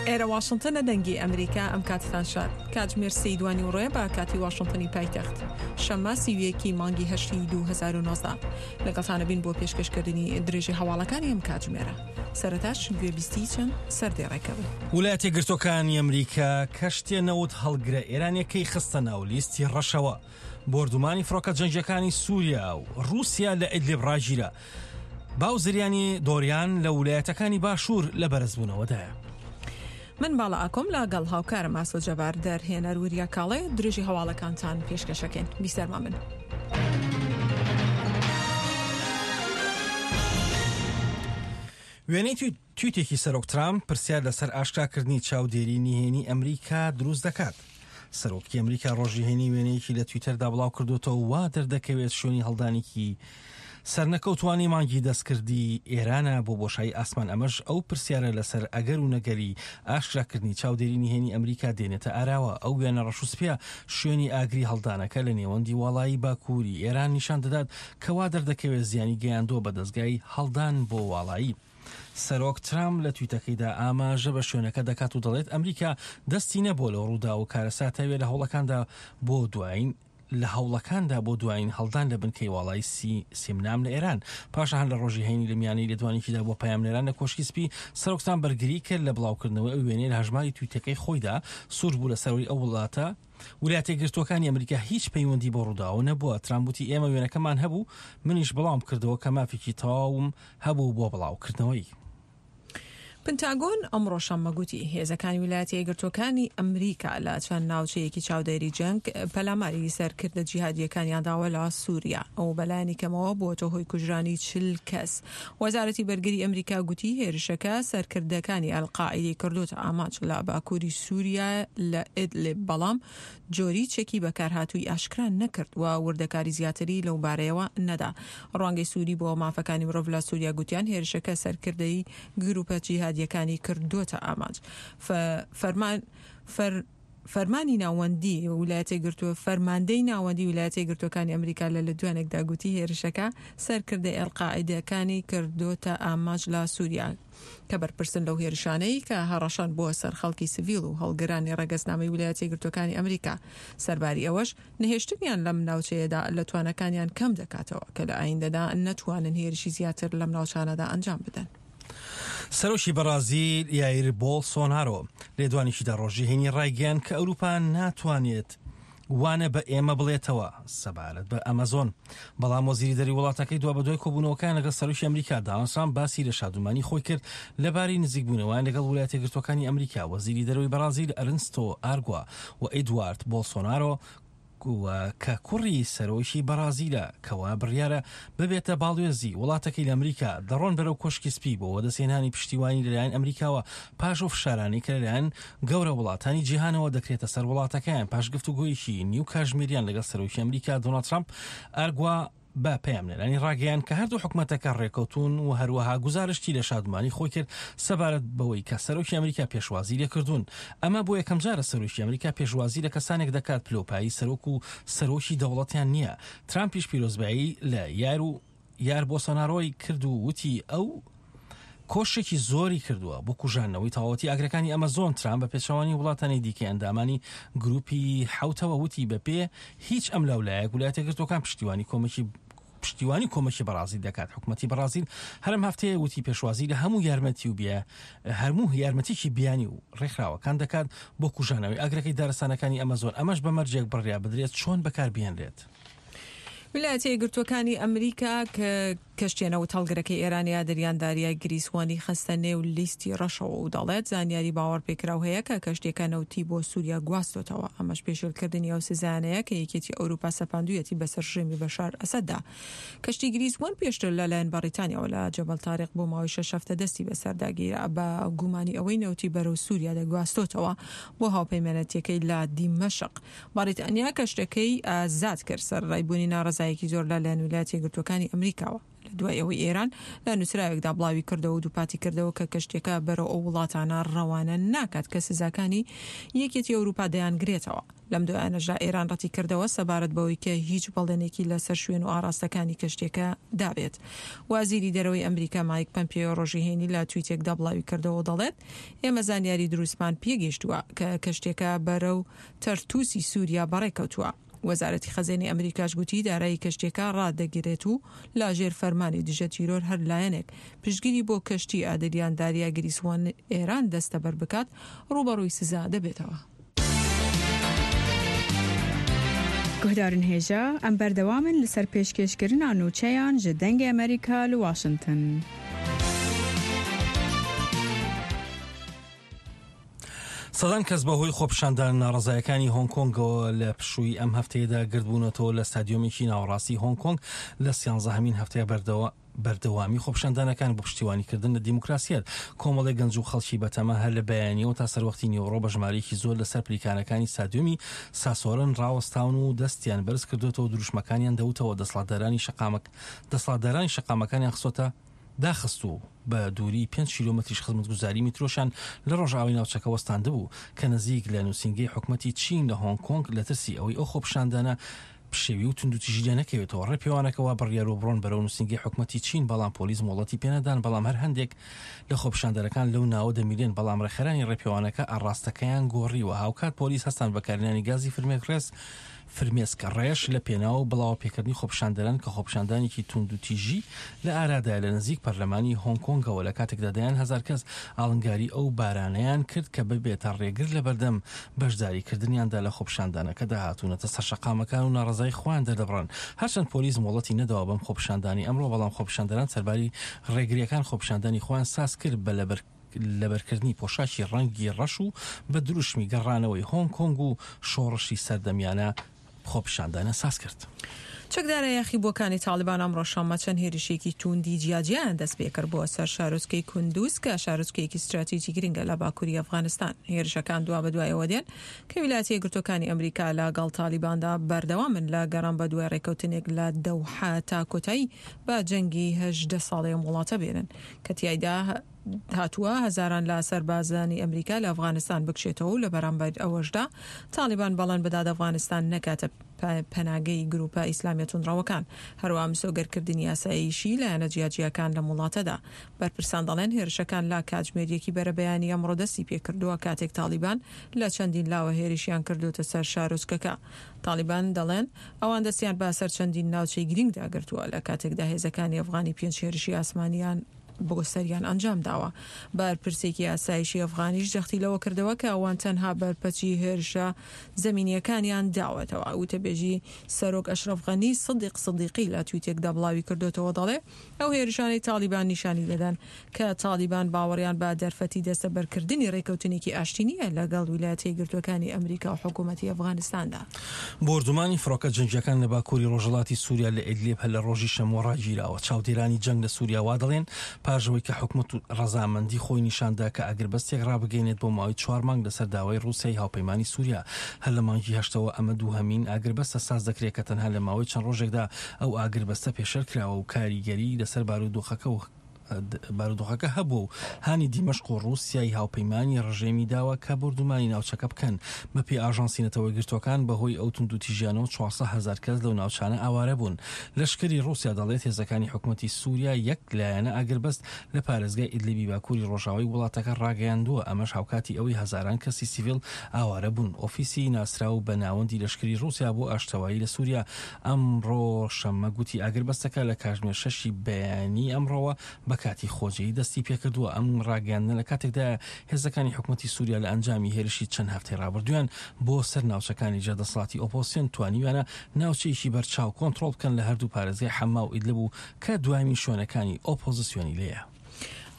ئێرە واشنتنە دەنگی ئەمریکا ئەم کاتتان شاد کاتژمێر سێی دوانیوڕۆیە بە کاتی واشنتنی پایتەخت شەممە 31 مانگی هەشتی 2019 لەگەڵتانە بین بۆ پێشکەشکردنی درێژی هەواڵەکانی ئەم کاتژمێرە سەرەتاش گوێبیستی چەند سەردێڕێکە بن. ولایەتە یەکگرتووەکانی ئەمریکا کەشتیە نەوت هەڵگرە ئێرانیەکەی خستە ناو لیستی ڕەشەوە. بۆردومانی فڕۆکە جەنگیەکانی سوریا و ڕووسیا لە ئیدلیب ڕاگیرا. باو زریانی دۆریان لە ولایەتەکانی باشوور لە بەرزبوونەوەدایە. من باڵا ئاکۆم لە گەڵ هاوکارم ئاسۆ جەبار دەرهێنەر وریا کاڵێ درێژی هەواڵەکانتان پێشکەشەکەین بیسەرمان بن. وێنەی تویتێکی سەرۆک ترامپ پرسیار لەسەر ئاشکراکردنی چاودێری نهێنی ئەمریکا دروست دەکات. سەرۆکی ئەمریکا ڕۆژی هەینی وێنەیەکی لە تویتەردا بڵاوکردوێتەوە وا دەردەکەوێت شوێنی هەڵدانێکی سەرنەکەوتوانی مانگی دەستکردی ئێرانە بۆ بۆشایی ئاسمان ئەمەش ئەو پرسیارە لەسەر ئەگەر و نەگەری ئاشکراکردنی چاودێری نهێنی ئەمریکا دێنێتە ئاراوە ئەو وێنە ڕەش و سپیە شوێنی ئاگری هەڵدانەکە لە نێوەندی واڵایی باکووری ئێران نیشان دەدات کە وا دەردەکەوێت زیانی گەیاندووە بە دەزگای هەڵدان بۆ واڵایی. سەرۆک ترامپ لە تویتەکەیدا ئاماژە بە شوێنەکە دەکات و دەڵێت ئەمریکا دەستی نەبووە لەو ڕووداو و کارەساتەوێ لە هەوڵەکاندا بۆ دوایین لە هەوڵەکاندا بۆ دوایین هەڵدان لە بنکەی واڵای سی سیمنام لە ئێران. پاشان هەر لە ڕۆژی هەینی لە میانەی لێدوانێکیدا بۆ پەیامنێران لە کۆشکی سپی، سەرۆک ترامپ بەرگری کرد لە بڵاوکردنەوەی ئەو وێنەیە لە هەژماری تویتەکەی خۆیدا، سوور بوو لە سەروەری ئەو وڵاتە، ولایەتە یەکگرتووەکانی ئەمریکا هیچ پەیوەندی بەو ڕووداوە نەبووە. ترامپ وتی ئێمە وێنەکەمان هەبوو، منیش بڵاوم کردەوە کە مافێکی تەواوم هەبوو بۆ بڵاوکردنەوەی. پنتاگۆن ئەمڕۆ شەممە گوتی، هێزەکانی ویلایەتە یەکگرتووەکانی ئەمریکا لە چەند ناوچەیەکی چاودێری جەنگ پەلاماری سەرکردە جیهادییەکانیان داوە لە سووریا و بەلایەنی کەمەوە بووەتە هۆی کوژرانی 40 کەس. وەزارەتی بەرگری ئەمریکا گوتی هێرشەکە سەرکردەکانی ئەلقاعیدەی کردۆتە ئامانج لە باکووری سووریا لە ئیدلیب، بەڵام جۆری چەکی بەکارهاتووی ئاشکرا نەکرد و وردەکاری زیاتری لەو بارەیەوە نەدا. ڕوانگەی سووری بۆ مافەکانی مرۆڤ لە سووریا گوتیان هێرشەکە سەرکردەی گرووپە جیهادییەکانی کردۆتە ئامانج. فەرمان فەر فەرمانی ناوەندی ویلایەتە یەکگرتووە فەرماندەی ناوەندی ویلایەتە یەکگرتووەکانی ئەمریکا لە لێدوانێکدا گوتی هێرشەکە سەرکردەی ئەلقاعیدەکانی کردۆتە ئامانج لە سووریا. کە بەرپرسن لەو هێرشانەی کە هەڕەشەن بۆ سەر خەڵکی سڤیل و هەڵگرانی ڕەگەزنامەی ویلایەتە یەکگرتووەکانی ئەمریکا. سەرباری ئەوەش، نەهێشتنیان لەم ناوچەیەدا لە تواناکانیان کەم دەکاتەوە کە لە ئایندەدا نەتوانن هێرشی زیاتر لەم ناوچانەدا ئەنجام بدەن. سەرۆکی بەڕازیل یایر بۆڵسۆنارۆ لێدوانێکیدا ڕۆژی هەینی ڕایگەیاند کە ئەوروپا ناتوانێت وانە بە ئێمە بڵێتەوە سەبارەت بە ئەمەزۆن. بەڵام وەزیری دەری وڵاتەکەی دوابەدوای کۆبوونەوەکان لەگەڵ سەرۆکی ئەمریکا داناڵد ترامپ باسی لە شادومانی خۆی کرد لەبارەی نزیکبوونەوەیان لەگەڵ ویلایەتە یەکگرتووەکانی ئەمریکا. وەزیری دەرەوەی بەڕازیل ئەرنستۆ ئارگوا و ئیدوارد بۆڵسۆنارۆ و کە کوڕی سەرۆکی بەڕازیلە کەوا بڕیارە ببێتە باڵوێزی وڵاتەکەی لە ئەمریکا، دەڕۆن بەرەو کۆشکی سپی بۆ وەدەستهێنانی پشتیوانی لەلایەن ئەمریکاوە پاش ئەو فشارانەی کە لەلایەن گەورە وڵاتانی جیهانەوە دەکرێتە سەر وڵاتەکەیان پاش گفتوگۆیەکی نیو کاژمێریان لەگەڵ سەرۆکی ئەمریکا دۆناڵد ترامپ ئارگوا بە پەیامنێرانی ڕاگەیاند کە هەردوو حکومەتەکە ڕێکەوتوون و هەروەها گوزارشتی لە شادمانی خۆی کرد سەبارەت بەوەی کە سەرۆکی ئەمریکا پێشوازی لێکردوون. ئەمە بۆ یەکەمجارە سەرۆکی ئەمریکا پێشوازی لە کەسانێک دەکات پلەوپایەی سەرۆک و سەرۆکی دەوڵەتیان نییە. ترامپیش پیرۆزبایی لە یار و یار بۆسۆنارۆی کرد و وتی ئەو کۆششێکی زۆری کردووە بۆ کوژاندنەوەی تەواوەتی ئاگرەکانی ئەمەزۆن، ترامپ بە پێچەوانەی وڵاتانی دیکەی ئەندامانی گروپی حەوتەوە وتی بەپێ هیچ ئەملاولایەک ولایەتە یەکگرتووەکان پشتیوانی کۆمەکی پشتیوانی کۆمەکی بەڕازیل دەکات. حکومەتی بەڕازیل هەرم هەفتەیە وتی پێشوازی لە هەموو یارمەتی و بیا هەرموو یارمەتیکی بیانی و ڕێکخراوەکان دەکات بۆ کوژانەوەی ئاگرەکەی دارستانەکانی ئەمەزۆن ئەمەش بە مەرجێک بڕیا بدرێت چۆن بەکاربهێنرێت. ویلایەتە یەکگرتووەکانی ئەمریکا کە کەشتیە نەوتهەڵگرەکەی ئێران یادریان داریای گریسوانی خستە نێو لیستی ڕەشەوە و دەڵێت زانیاری باوەڕپێکراو هەیە کە کەشتیەکە نەوتی بۆ سوریا گواستۆتەوە، ئەمەش پێشێلکردنی ئەو سزایانەیە کە یەکێتی ئەوروپا سەپاندوویەتی بەسەر ڕژێمی بەشار ئەسەددا. کەشتی گریس وەن پێشتر لەلایەن بەڕیتانیاوە لە جەبەل تاریق بۆ ماوەی شەش هەفتە دەستی بەسەردا گیرا بە گومانی ئەوەی نەوتی بەرەو سوریا دەگواستۆتەوە بۆ هاوپەیمانەتیەکەی لە دیمەشق. بەڕیتانیا کەشتەکەی ئازاد کرد سەرەڕای بوونی ناڕەزایەکی زۆر لە لایەن ویلایەتە یەکگرتووەکانی ئەمریکاوە. لە دوای ئەوەی ئێران لە نووسراوێکدا بڵاوی کردەوە و دووپاتی کردەوە کە کەشتیەکە بەرەو ئەو وڵاتانە ڕەوانە ناکات کە سزاکانی یەکێتی ئەوروپا دەیانگرێتەوە. لەم دوایانەشدا ئێران ڕەتی کردەوە سەبارەت بەوەی کە هیچ بەڵێنێکی لەسەر شوێن و ئاڕاستەکانی کەشتیەکە دابێت. وەزیری دەرەوەی ئەمریکا مایک پەمپێیۆ ڕۆژی هەینی لە تویتێکدا بڵاوی کردەوە و دەڵێت ئێمە زانیاری دروستمان پێگەیشتووە کە کەشتیەکە بەرەو تەرتوسی سوریا بەڕێکەوتووە. وەزارەتی خەزێنەی ئەمریکاش گوتی دارایی کەشتیەکە ڕادەگرێت و لە ژێر فەرمانی دژە تیرۆر هەر لایەنێک پشتگیری بۆ کەشتی ئادریان داریا گریس وەن ئێران دەستەبەر بکات ڕووبەڕووی سزا دەبێتەوە. Guhdarên hêja, em berdewam in li ser pêşkêşkirina nûçeyan ji Dengê Amerîka li Washington. سەدان کەس بەهۆی خۆپیشاندانە ناڕەزایەکانی هۆنگ کۆنگەوە لە پشووی ئەم هەفتەیەدا گردبوونەتەوە لە ستادیۆمێکی ناوەڕاستی هۆنگ کۆنگ لە سیانزەهەمین هەفتەی بەردەوامی خۆپیشاندانەکان بۆ پشتیوانیکردن لە دیموکراسیەت. کۆمەڵێک گەنج و خەڵکی بەتەما هەر لە بەیانیەوە تا سەروەختی نیوەڕۆ بە ژمارەیەکی زۆر لەسەر پلیکانەکانی ستادیۆمی ساسۆرن ڕاوەستاون و دەستیان بەرز کردووەتەوە دروشمەکانیان دەوتەوە دەسەڵاتدارانی دەسەڵاتدارانی شەقامەکانیان خستۆتە داخست و بە دووری پێنج کیلۆمەتریش خزمەتگوزاری میترۆشیان لە ڕۆژئاوای ناوچەکە وەستاندبوو کە نزیک لە نووسینگەی حکومەتی چین لە هۆنگ کۆنگ لە ترسی ئەوەی ئەو خۆپیشاندانە پشێوی و توندوتیژی لێ نەکەوێتەوە ڕێپێوانەکە وا بڕیاربوو بڕۆن بەرەو نووسینگەی حکومەتی چین بەڵام پۆلیس مۆڵەتی پێنەدان بەڵام هەر هەندێک لە خۆپیشاندەرەکان لەو ناوە دەمیرێن بەڵام ڕێکخەرانی ڕێپێوانەکە ئاڕاستەکەیان گۆڕیوە هاوکات پۆلیس هەستان بەکارهێنانی گازی فرمێکڕێز فرمێسک ڕێژ لە پێناو بڵاوەپێکردنی خۆپیشاندەران کە خۆپیشاندانێکی توندوتیژی لە ئارادایە لە نزیک پەرلەمانی هۆنگ کۆنگەوە لە کاتێکدا دەیان هەزار کەس ئاڵنگاری ئەو بارانەیان کرد کە ببێتە ڕێگر لەبەردەم بەشداریکردنیاندا لە خۆپیشاندانەکەدا هاتوونەتە سەر شەقامەکان و ناڕەزایی خۆیان دەردەبڕن هەرچەند پۆلیس مۆڵەتی نەداوە بەم خۆپیشاندانەی ئەمڕۆ بەڵام خۆپیشاندەران سەرباری ڕێگرییەکان خۆپیشاندانی خۆیان ساز کرد بە لەبەر لەبەرکردنی پۆشاکی ڕەنگی ڕەش و بە دروشمی گەڕانەوەی هۆنگ کۆنگ و شۆڕشی سەردەمیانە خۆپیشاندانیان ساز کرد. چەکدارە یاخیبووەکانی تاڵیبان ئەمڕۆ شەممە چەند هێرشێکی تووندی جیاجیایان دەستپێکرد بۆ سەر شارۆچکەی کوندوز کە شارۆچکەیەکی ستراتیجی گرنگە لە باکووری ئەفغانستان. هێرشەکان دوابەدوای ئەوە دێن کە ویلایەتە یەکگرتووەکانی ئەمریکا لەگەڵ تاڵیباندا بەردەوامن لە گەڕان بەدوای ڕێککەوتنێک لە دەوحە تا کۆتایی بە جەنگی 18 ساڵەی ئەم وڵاتە بێنن کە تیایدا هاتووە هەزاران لە سەربازانی ئەمریکا لە ئەفغانستان بکشێتەوە و لە بەرامبەر ئەوەشدا تاڵیبان بەڵێن بدات ئەفغانستان نەکاتە پەناگەی گروپە ئیسلامیە توندڕەوەکان، هەروەها مسۆگەرکردنی ئاسایشی لایەنە جیاجیاکان لەم وڵاتەدا. بەرپرسان دەڵێن هێرشەکان لە کاتژمێر یەکی بەرەبەیانی ئەمڕۆ دەستی پێکردووە کاتێک تاڵیبان لە چەندین لاوە هێرشیان کردۆتە سەر شارۆچکەکە. تاڵیبان دەڵێن ئەوان دەستیان بە سەر چەندین ناوچەی گرینگدا گرتووە لە کاتێکدا هێزەکانی ئەفغانی پێنج هێرشی ئاسمانیان بۆ سەریان ئەنجام داوە. بەرپرسێکی ئاسایشی ئەفغانیش جەختی لەوە کردەوە کە ئەوان تەنها بەرپەچی هێرشە زەمینییەکانیان داوەتەوە. وتەبێژی سەرۆک ئەشرەف غەنی سدیق سدیقی لە تویتێکدا بڵاوی کردۆتەوە دەڵێ ئەو هێرشانەی تاڵیبان نیشانی دەدەن کە تاڵیبان باوەڕیان بە دەرفەتی دەستەبەرکردنی رێکەوتنێکی ئاشتی نییە لەگەڵ ویلایەتە یەکگرتووەکانی ئەمریکا و حکوومەتی ئەفغانستاندا. بۆردومانی فڕۆکە جەنگییەکان لە باکووری ڕۆژهەڵاتی سووریا لە ئیدلیب هەر لە ڕۆژی شەمووە ڕاگیراوە. چاودێرانی جەنگ لە سووریا وا دەڵێن، پاش ئەوەی کە حکومەت ڕەزامەندی خۆی نیشان دا کە ئاگربەستێک ڕابگەیەنێت بۆ ماوەی چوار مانگ لەسەر داوای ڕووسیای هاوپەیمانی سووریا هەر لە مانگی هەشتەوە ئەمە دووهەمین ئاگربەستە ساز دەکرێت کە تەنها لە ماوەی چەند ڕۆژێکدا ئەو ئاگربەستە پێشێل کراوە و کاریگەری لەسەر بارودۆخەکە و بارودۆخەکە هەبووە و هانی دیمەشق و ڕووسیای هاوپەیمانی ڕژێمی داوە کە بۆردومانی ناوچەکە بکەن. بەپێی ئاژانسی نەتەوەیەکگرتووەکان، بەهۆی ئەو توندوتیژیانەوە 400 هەزار کەس لەو ناوچانە ئاوارە بوون. لەشکری ڕووسیا دەڵێت هێزەکانی حکومەتی سووریا یەک لایەنە ئاگربەست لە پارێزگای ئیدلیبی باکووری ڕۆژاوای وڵاتەکە ڕاگەیاندووە، ئەمەش هاوکاتی ئەوەی هەزاران کەسی سیڤیل ئاوارە بوون. ئۆفیسی ناسراو بە ناوەندی لەشکری ڕووسیا بۆ ئاشتەوایی لە سووریا ئەمڕۆ شەممە گوتی ئاگربەستەکە لە کاژمێر شەشی بەیانی ئەمڕۆوە بە کاتی خۆجێی دەستی پێکردووە. ئەم ڕاگەیاندنە لە کاتێکدایە هێزەکانی حکومەتی سووریا لە ئەنجامی هێرشی چەند هەفتەی ڕابردوویان بۆ سەر ناوچەکانی ژێر دەسەڵاتی ئۆپۆزسیۆن توانیویانە ناوچەیەکی بەرچاو کۆنتڕۆڵ بکەن لە هەردوو پارێزگای حەما و ئیدلب و کە دوایین شوێنەکانی ئۆپۆزسیۆنی لێیە.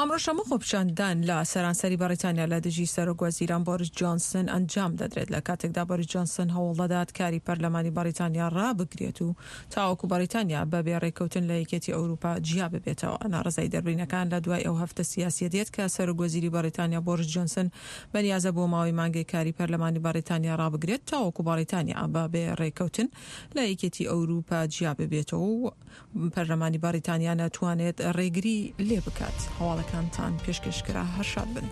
ئەمڕۆ شەممە خۆپیشاندان لە سەرانسەری بەڕیتانیا لە دژی سەرۆک وەزیران بۆریس جۆنسن ئەنجام دەدرێت لە کاتێکدا بۆریس جۆنسن هەوڵدەدات کاری پەرلەمانی بەڕیتانیا ڕابگرێت و تاوەکو بەڕیتانیا بە بێ ڕێککەوتن لە یەکێتی ئەوروپا جیا ببێتەوە. ناڕەزایی دەربرینەکان لە دوای ئەو هەفتە سیاسیە دێت کە سەرۆک وەزیری بەڕیتانیا بۆریس جۆنسن بەنیازە بۆ ماوەی مانگێک کاری پەرلەمانی بەڕیتانیا ڕابگرێت تاوەکو بەڕیتانیا بە بێ ڕێککەوتن لە یەکێتی ئەوروپا جیا ببێتەوە و پەرلەمانی بەڕیتانیا نەتوانێت ڕێگری لێ بکات. هەواڵەکانتان پێشکەش کرا هەر شاد بن.